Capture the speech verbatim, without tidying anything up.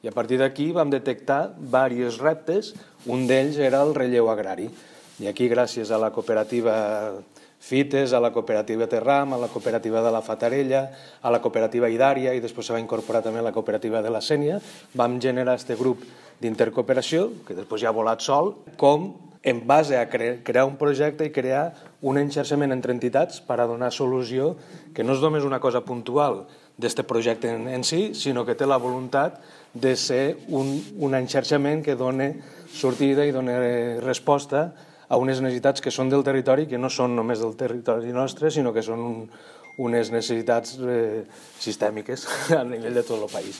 I a partir d'aquí vam detectar diversos reptes, un d'ells era el relleu agrari. I aquí, gràcies a la cooperativa Fites, a la cooperativa Terram, a la cooperativa de la Fatarella, a la cooperativa Idària i després se va incorporar també la cooperativa de la Sénia, vam generar aquest grup d'intercooperació, que després ja ha volat sol, com en base a crear un projecte i crear un enxarxament entre entitats per a donar solució, que no és només una cosa puntual d'aquest projecte en si, sinó que té la voluntat de ser un, un enxarxament que doni sortida i doni resposta a unes necessitats que són del territori, que no són només del territori nostre, sinó que són un, unes necessitats eh, sistèmiques a nivell de tot el país.